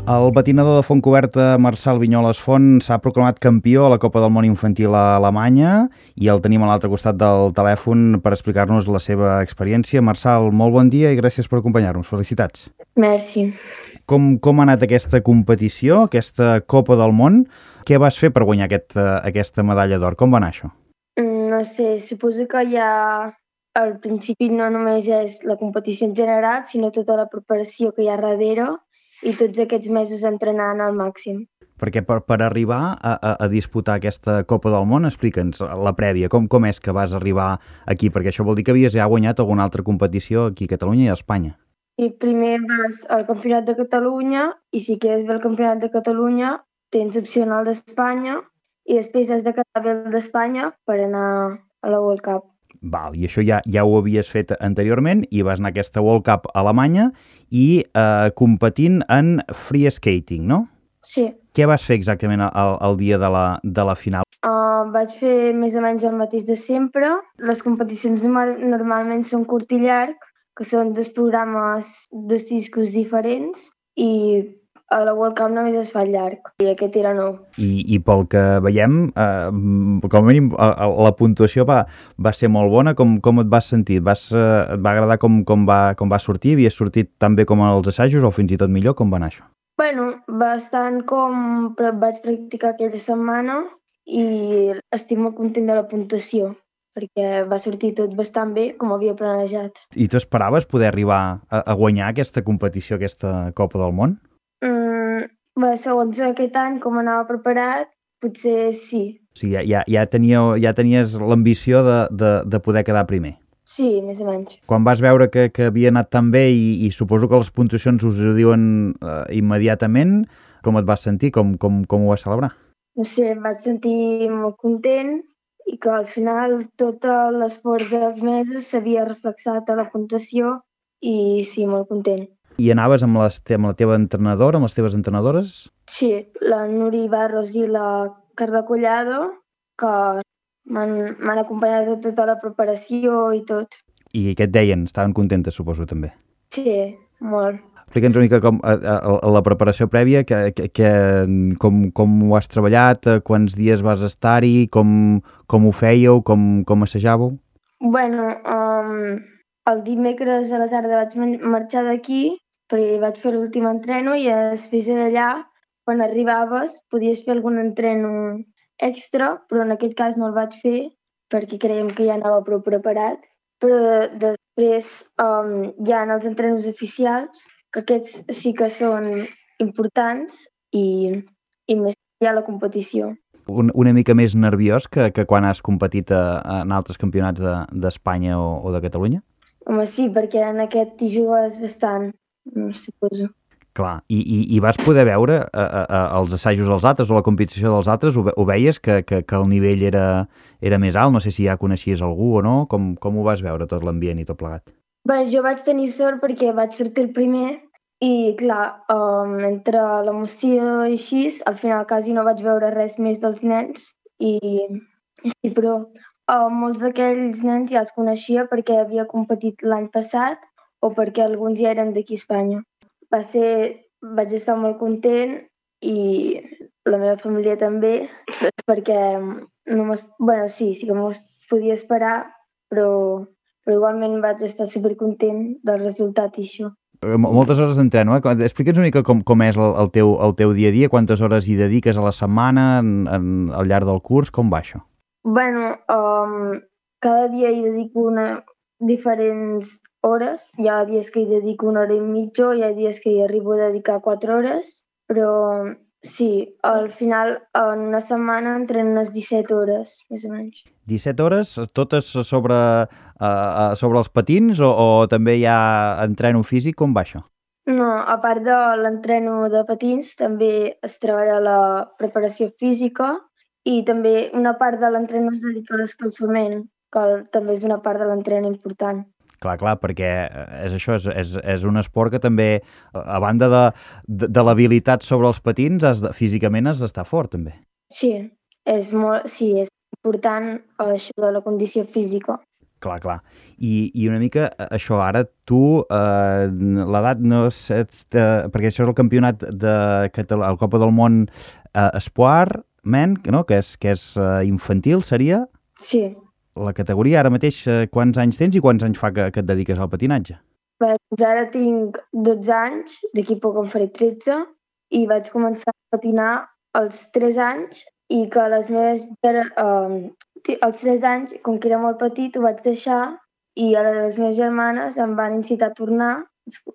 El patinador de Fontcoberta, Marçal Vinyoles Font, s'ha proclamat campió a la Copa del Món Infantil a Alemanya i el tenim a l'altre costat del telèfon per explicar-nos la seva experiència. Marçal, molt bon dia i gràcies per acompanyar-nos. Felicitats. Merci. Com ha anat aquesta competició, aquesta Copa del Món? Què vas fer per guanyar aquesta medalla d'or? Com va anar això? No sé, suposo que ja al principi no només és la competició en general, sinó tota la preparació que hi ha darrere i tots aquests mesos entrenant al màxim. Perquè per arribar a disputar aquesta Copa del Món, explica'ns la prèvia, com és que vas arribar aquí? Perquè això vol dir que havies ja guanyat alguna altra competició aquí a Catalunya i a Espanya. I primer vas al Campionat de Catalunya i si quedes bé al Campionat de Catalunya tens opcional d'Espanya i després has de quedar bé el d'Espanya per anar a la World Cup. Val, i això ja ho havies fet anteriorment i vas anar a aquesta World Cup a Alemanya i competint en free skating, no? Sí. Què vas fer exactament el dia de la final? Vaig fer més o menys el mateix de sempre. Les competicions normalment són curt i llarg, que són dos programes, dos discos diferents i a la World Cup només es fa llarg i aquest era nou. I pel que veiem, com a mínim la puntuació va ser molt bona. Com et vas sentir? Et va agradar com va sortir? Havies sortit tan bé com als assajos o fins i tot millor? Com va anar això? Bueno, bastant però vaig practicar aquella setmana i estic molt content de la puntuació perquè va sortir tot bastant bé com havia planejat. I tu esperaves poder arribar a guanyar aquesta competició, aquesta Copa del Món? Segons aquest any, com anava preparat, potser sí. O sigui, ja tenies l'ambició de poder quedar primer. Sí, més o menys. Quan vas veure que havia anat tan bé i suposo que les puntuacions us ho diuen immediatament, com et vas sentir? Com ho vas celebrar? No sé, em vaig sentir molt content i que al final tot l'esforç dels mesos s'havia reflexat a la puntuació i sí, molt content. I anaves amb la teva entrenadora, amb les teves entrenadores? Sí, la Nuri Barros i la Carla Collado, que m'han acompanyat a tota la preparació i tot. I què et deien? Estaven contentes, suposo, també? Sí, molt. Explica'ns una mica com la preparació prèvia, com ho has treballat, quants dies vas estar-hi, com ho fèieu, com assajàveu? Bueno, el dimecres a la tarda vaig marxar d'aquí perquè vaig fer l'últim entreno i després d'allà, quan arribaves, podies fer algun entreno extra, però en aquest cas no el vaig fer perquè creiem que ja anava prou preparat. Però després hi ha els entrenos oficials, que aquests sí que són importants i més hi ha la competició. Una mica més nerviós que quan has competit en altres campionats d'Espanya o de Catalunya? Home, sí, perquè en aquest hi jugues bastant, suposo. Clar, i vas poder veure els assajos dels altres o la competició dels altres? Ho veies que el nivell era més alt? No sé si ja coneixies algú o no. Com ho vas veure, tot l'ambient i tot plegat? Bé, jo vaig tenir sort perquè vaig sortir el primer i, clar, entre l'emoció i així, al final quasi no vaig veure res més dels nens sí, però molts d'aquells nens ja els coneixia perquè havia competit l'any passat o perquè alguns ja eren d'aquí a Espanya. Vaig estar molt content i la meva família també, perquè sí que m'ho podia esperar, però igualment vaig estar supercontent del resultat i això. Moltes hores d'entreno, Explica'ns una mica com és el teu dia a dia, quantes hores hi dediques a la setmana al llarg del curs, com va això? Bueno, cada dia hi dedico diferents hores. Hi ha dies que hi dedico 1 hora i mitja, hi ha dies que hi arribo a dedicar 4 hores, però sí, al final en una setmana entreno unes 17 hores, més o menys. 17 hores, totes sobre els patins o també hi ha entreno físic? Com va això? No, a part de l'entreno de patins, també es treballa la preparació física i també una part de l'entreno es dedica a l'escalfament, que també és una part de l'entreno important. Clar, perquè és això, és un esport que també, a banda de l'habilitat sobre els patins, físicament has d'estar fort, també. Sí, és important això de la condició física. Clar, clar. I una mica això, ara tu, l'edat no és... perquè això és el campionat de el Copa del Món Espoir, men, no? que és infantil, seria? Sí. La categoria, ara mateix, quants anys tens i quants anys fa que et dediques al patinatge? Doncs ara tinc 12 anys, d'aquí poc en faré 13, i vaig començar a patinar als 3 anys i que les meves... als 3 anys, com que era molt petit, ho vaig deixar i a les meves germanes em van incitar a tornar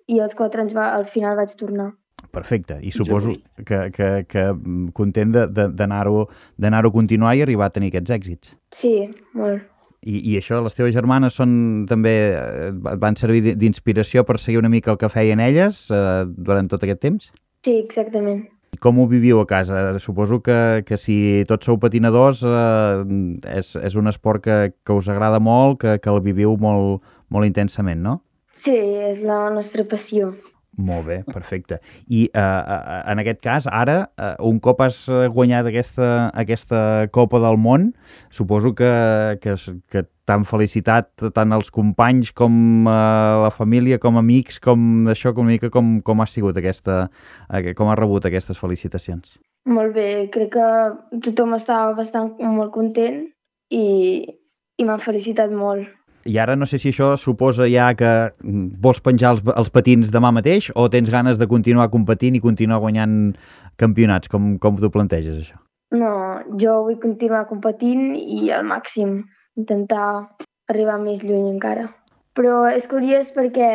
i als 4 anys al final vaig tornar. Perfecte, i suposo que content d'anar-ho a continuar i arribar a tenir aquests èxits. Sí, molt. I això, les teves germanes també et van servir d'inspiració per seguir una mica el que feien elles durant tot aquest temps? Sí, exactament. Com ho viviu a casa? Suposo que si tots sou patinadors és un esport que us agrada molt, que el viviu molt, molt intensament, no? Sí, és la nostra passió. Molt bé, perfecte. I en aquest cas, ara, un cop has guanyat aquesta Copa del Món, suposo que t'han felicitat tant els companys com la família, com amics, com això, com ha sigut com ha rebut aquestes felicitacions? Molt bé, crec que tothom estava molt content i m'han felicitat molt. I ara no sé si això suposa ja que vols penjar els patins demà mateix o tens ganes de continuar competint i continuar guanyant campionats? Com t'ho planteges, això? No, jo vull continuar competint i al màxim, intentar arribar més lluny encara. Però és curiós perquè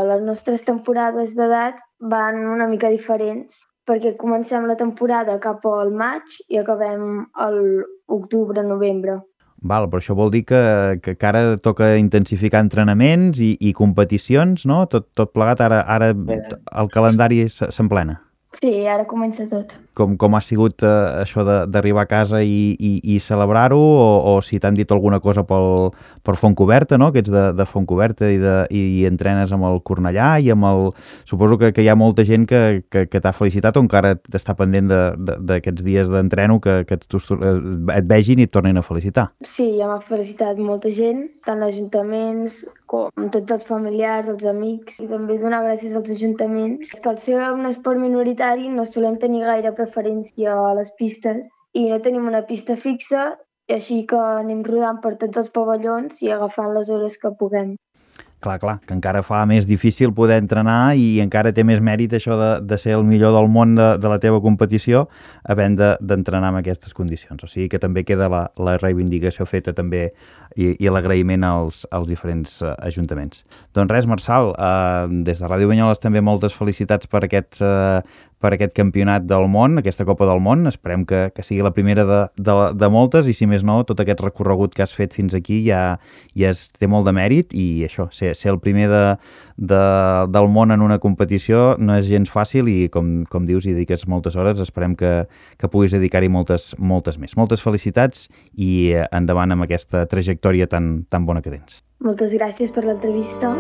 les nostres temporades d'edat van una mica diferents, perquè comencem la temporada cap al maig i acabem a l'octubre-novembre. Val, però això vol dir que ara toca intensificar entrenaments i competicions, no? Tot plegat, ara el calendari s'emplena. Sí, ara comença tot. Com ha sigut això d'arribar a casa i celebrar-ho, o si t'han dit alguna cosa per Fontcoberta, no? Que ets de Fontcoberta i entrenes amb el Cornellà i amb el... Suposo que hi ha molta gent que t'ha felicitat o encara t'està pendent d'aquests dies d'entreno que et vegin i et tornin a felicitar. Sí, ja m'ha felicitat molta gent, tant ajuntaments com tots els familiars, els amics, i també donar gràcies als ajuntaments. És que al ser un esport minoritari no solem tenir gaire preferència a les pistes i no tenim una pista fixa, així que anem rodant per tots els pavellons i agafant les hores que puguem. Clar, que encara fa més difícil poder entrenar i encara té més mèrit això de ser el millor del món de la teva competició havent d'entrenar en aquestes condicions. O sigui que també queda la reivindicació feta també i l'agraïment als diferents ajuntaments. Doncs res, Marçal, des de Ràdio Banyoles també moltes felicitats per aquest campionat del món, aquesta Copa del Món. Esperem que sigui la primera de moltes i, si més no, tot aquest recorregut que has fet fins aquí ja té molt de mèrit i això, ser el primer del món en una competició no és gens fàcil i, com dius, hi dediques moltes hores. Esperem que puguis dedicar-hi moltes més. Moltes felicitats i endavant amb aquesta trajectòria tan bona que tens. Moltes gràcies per l'entrevista.